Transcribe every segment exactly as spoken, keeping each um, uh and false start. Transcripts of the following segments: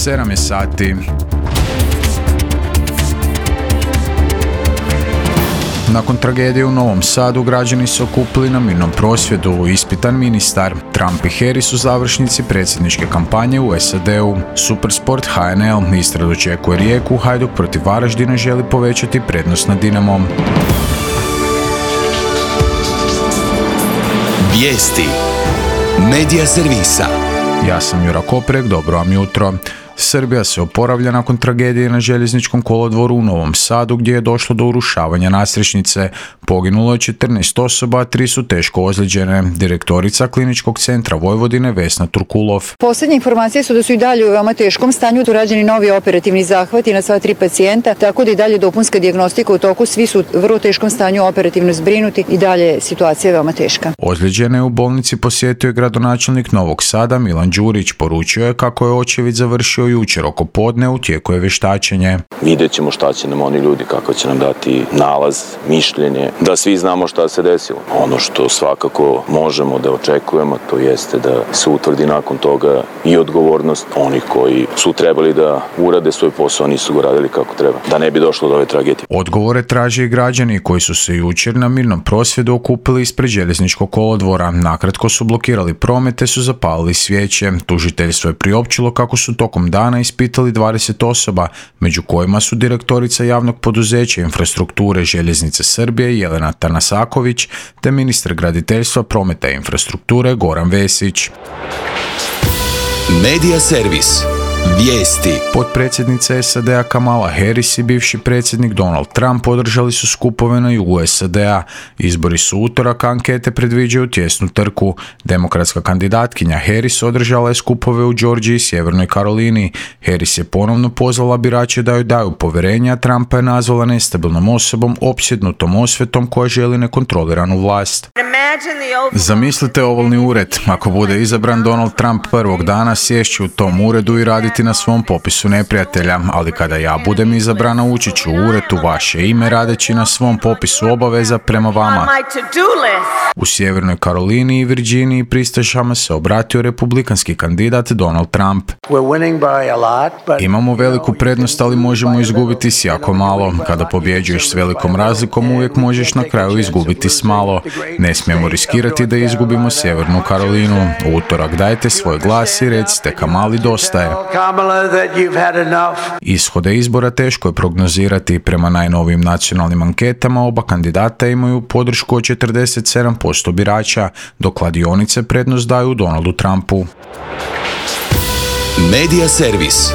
sedam je sati. Nakon tragedije u Novom Sadu, građani su okupili na mirnom prosvjedu. Ispitan ministar. Trump i Harris u završnici predsjedničke kampanje u S A D-u. Supersport H N L Istra dočekuje Rijeku, Hajduk protiv Varaždina želi povećati prednost nad Dinamom. Vijesti Medija servisa. Ja sam Jura Koprek, dobro vam jutro. Srbija se oporavlja nakon tragedije na željezničkom kolodvoru u Novom Sadu gdje je došlo do urušavanja nadstrešnice. Poginulo je četrnaest osoba, a tri su teško ozlijeđene. Direktorica Kliničkog centra Vojvodine Vesna Turkulov. Posljednje informacije su da su i dalje u veoma teškom stanju. Tu rađeni novi operativni zahvati na sva tri pacijenta, tako da i dalje dopunska dijagnostika u toku. Svi su u vrlo teškom stanju operativno zbrinuti i dalje je situacija veoma teška. Ozlijeđene u bolnici posjetio je gradonačelnik Novog Sada Milan Đurić. Poručio je kako je očevid završio jučer oko podne, u tijeku je vještačenje. Vidjet ćemo šta će nam oni ljudi, kako će nam dati nalaz, mišljenje, da svi znamo šta se desilo. Ono što svakako možemo da očekujemo, to jeste da se utvrdi nakon toga i odgovornost onih koji su trebali da urade svoj posao, nisu ga radili kako treba, da ne bi došlo do ove tragedije. Odgovore traže i građani koji su se jučer na mirnom prosvjedu okupili ispred željezničkog kolodvora. Nakratko su blokirali promet te su zapalili svijeće. Tužiteljstvo je priopćilo kako su tokom dana ispitali dvadeset osoba, među kojima su direktorica javnog poduzeća infrastrukture Željeznice Srbije Jelena Tanasaković te ministar graditeljstva, prometa i infrastrukture Goran Vesić. Medija servis. Vijesti. Potpredsjednica S A D-a Kamala Harris i bivši predsjednik Donald Trump održali su skupove na jugu S A D-a. Izbori su utorak, ankete predviđaju tjesnu trku. Demokratska kandidatkinja Harris održala je skupove u Georgiji i Sjevernoj Karolini. Harris je ponovno pozvala birače da joj daju povjerenje, a Trumpa je nazvala nestabilnom osobom, opsjednutom osvetom koja želi nekontroliranu vlast. Zamislite ovalni ured. Ako bude izabran Donald Trump prvog dana, sješći u tom uredu i raditi na svom popisu neprijatelja, ali kada ja budem izabrana ući ću u ured u vaše ime radeći na svom popisu obaveza prema vama. U Sjevernoj Karolini i Virginiji pristašama se obratio republikanski kandidat Donald Trump. Imamo veliku prednost, ali možemo izgubiti s jako malo. Kada pobjeđuješ s velikom razlikom, uvijek možeš na kraju izgubiti s malo. Ne smijemo riskirati da izgubimo Sjevernu Karolinu. U utorak dajte svoj glas i recite Kamali dosta je. Ishode izbora teško je prognozirati. Prema najnovijim nacionalnim anketama oba kandidata imaju podršku od četrdeset sedam posto birača, dok kladionice prednost daju Donaldu Trumpu. Medija servis.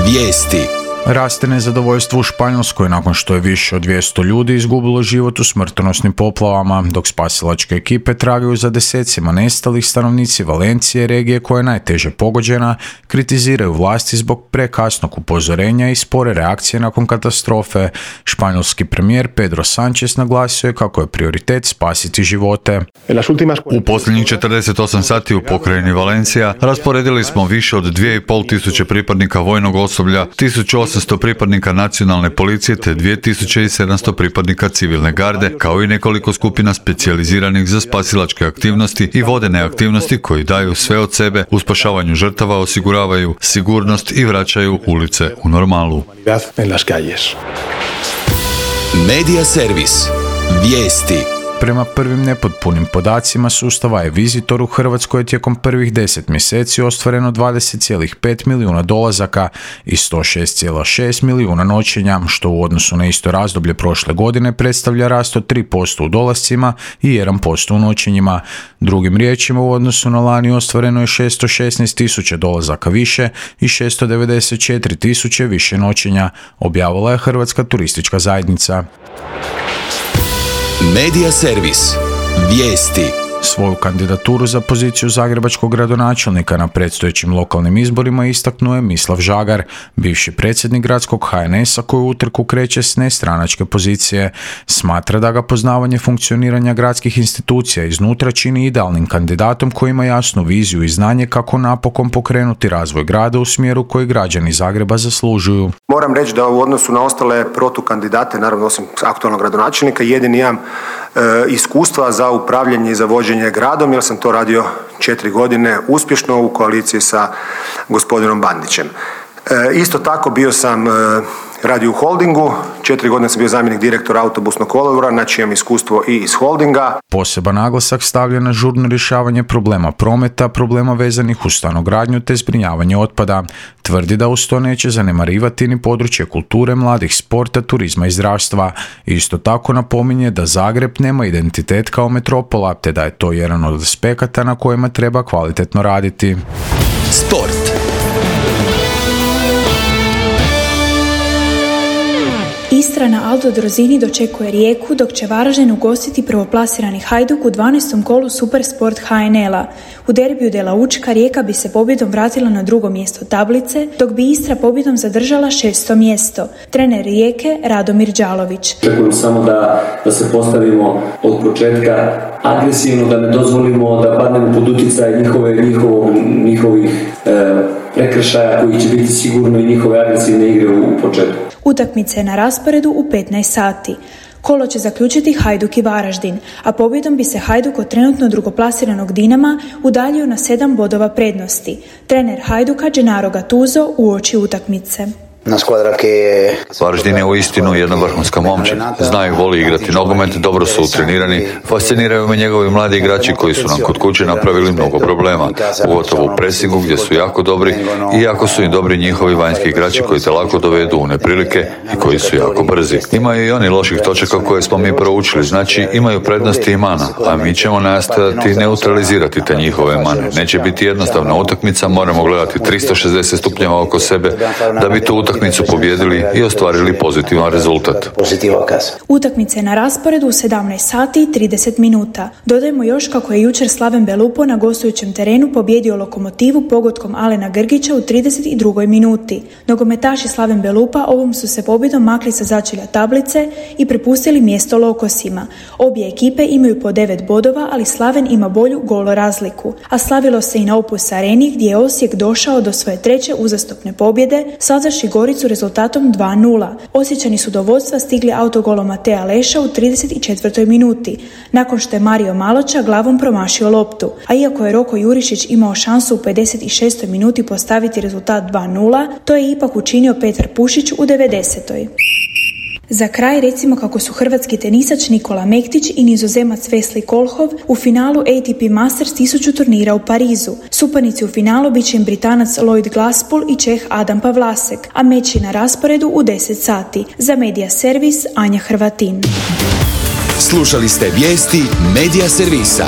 Vijesti. Raste nezadovoljstvo u Španjolskoj nakon što je više od dvjesto ljudi izgubilo život u smrtonosnim poplavama, dok spasilačke ekipe tragaju za desecima nestalih. Stanovnici Valencije, regije koja je najteže pogođena, kritiziraju vlasti zbog prekasnog upozorenja i spore reakcije nakon katastrofe. Španjolski premijer Pedro Sánchez naglasio je kako je prioritet spasiti živote. U posljednjih četrdeset osam sati u pokrajini Valencija rasporedili smo više od dvije i pol tisuće pripadnika vojnog osoblja, tisuću osamsto pripadnika nacionalne policije te dvije tisuće sedamsto pripadnika civilne garde, kao i nekoliko skupina specijaliziranih za spasilačke aktivnosti i vodene aktivnosti koji daju sve od sebe u spašavanju žrtava, osiguravaju sigurnost i vraćaju ulice u normalu. Medija servis. Vijesti. Prema prvim nepotpunim podacima sustava e-Visitor u Hrvatskoj je tijekom prvih deset mjeseci ostvareno dvadeset zarez pet milijuna dolazaka i sto šest zarez šest milijuna noćenja, što u odnosu na isto razdoblje prošle godine predstavlja rast od tri posto u dolascima i jedan posto u noćenjima. Drugim riječima, u odnosu na lani ostvareno je šesto šesnaest tisuća dolazaka više i šesto devedeset četiri tisuće više noćenja, objavila je Hrvatska turistička zajednica. Medija servis. Vijesti. Svoju kandidaturu za poziciju zagrebačkog gradonačelnika na predstojećim lokalnim izborima istaknuo je Mislav Žagar, bivši predsjednik gradskog H N S-a koji u utrku kreće s nestranačke pozicije. Smatra da ga poznavanje funkcioniranja gradskih institucija iznutra čini idealnim kandidatom koji ima jasnu viziju i znanje kako napokon pokrenuti razvoj grada u smjeru koji građani Zagreba zaslužuju. Moram reći da u odnosu na ostale protukandidate, naravno osim aktualnog gradonačelnika, jedini imam e, iskustva za upravljanje i za vođenje gradom, jer sam to radio četiri godine uspješno u koaliciji sa gospodinom Bandićem. Isto tako bio sam radio u holdingu, četiri godine sam bio zamjenik direktora autobusnog kolodvora, znači imam iskustvo i iz holdinga. Poseban naglasak stavlja na žurno rješavanje problema prometa, problema vezanih uz stanogradnju te zbrinjavanje otpada. Tvrdi da uz to neće zanemarivati ni područje kulture, mladih, sporta, turizma i zdravstva. Isto tako napominje da Zagreb nema identitet kao metropola, te da je to jedan od aspekata na kojima treba kvalitetno raditi. Sport. Istra na Aldo Drozini dočekuje Rijeku, dok će Varaždin ugostiti prvoplasirani Hajduk u dvanaestom kolu Supersport H N L-a. U derbiju Dela Učka Rijeka bi se pobjedom vratila na drugo mjesto tablice, dok bi Istra pobjedom zadržala šesto mjesto. Trener Rijeke Radomir Đalović. Očekujem samo da, da se postavimo od početka agresivno, da ne dozvolimo da padnemo pod utjecaj njihove, njihovog, njihovih e, prekršaja koji će biti sigurno i njihove agresivne igre u, u početku. Utakmice je na rasporedu u petnaest sati. Kolo će zaključiti Hajduk i Varaždin, a pobjedom bi se Hajduk od trenutno drugoplasiranog Dinama udaljio na sedam bodova prednosti. Trener Hajduka Gennaro Gattuso uoči utakmice. Varaždin je uistinu jedna vrhunska momčad. Znaju, voli igrati nogomet, dobro su utrenirani, fasciniraju me njegovi mladi igrači koji su nam kod kuće napravili mnogo problema, pogotovo u presingu gdje su jako dobri i jako su im dobri njihovi vanjski igrači koji te lako dovedu u neprilike i koji su jako brzi. Imaju i oni loših točaka koje smo mi proučili, znači imaju prednosti i mana, a mi ćemo nastojati neutralizirati te njihove mane. Neće biti jednostavna utakmica, moramo gledati tristo šezdeset stupnjeva oko sebe da bi tu utakmicu utakmicu pobjedili i ostvarili pozitivan rezultat. Utakmice na rasporedu u sedamnaest sati i trideset minuta. Dodajmo još kako je jučer Slaven Belupo na gostujućem terenu pobjedio Lokomotivu pogodkom Alena Grgića u trideset drugoj minuti. Nogometaši Slaven Belupa ovom su se pobjedom makli sa začelja tablice i prepustili mjesto Lokosima. Obje ekipe imaju po devet bodova, ali Slaven ima bolju golo razliku. A slavilo se i na Opus Areni gdje je Osijek došao do svoje treće uzastopne pobjede, savdavši Goricu rezultatom dva nula. Osječani su do vodstva stigli autogolom Matea Leša u trideset četvrtoj minuti, nakon što je Mario Maloča glavom promašio loptu. A iako je Roko Jurišić imao šansu u pedeset šestoj minuti postaviti rezultat dva nula, to je ipak učinio Petar Pušić u devedesetoj. Za kraj recimo kako su hrvatski tenisač Nikola Mektić i nizozemac Wesley Kolhov u finalu A T P Masters tisuću turnira u Parizu. Suparnici u finalu bit će im Britanac Lloyd Glasspool i Čeh Adam Pavlasek, a meč je na rasporedu u deset sati. Za Media Servis Anja Hrvatin. Slušali ste vijesti Media Servisa.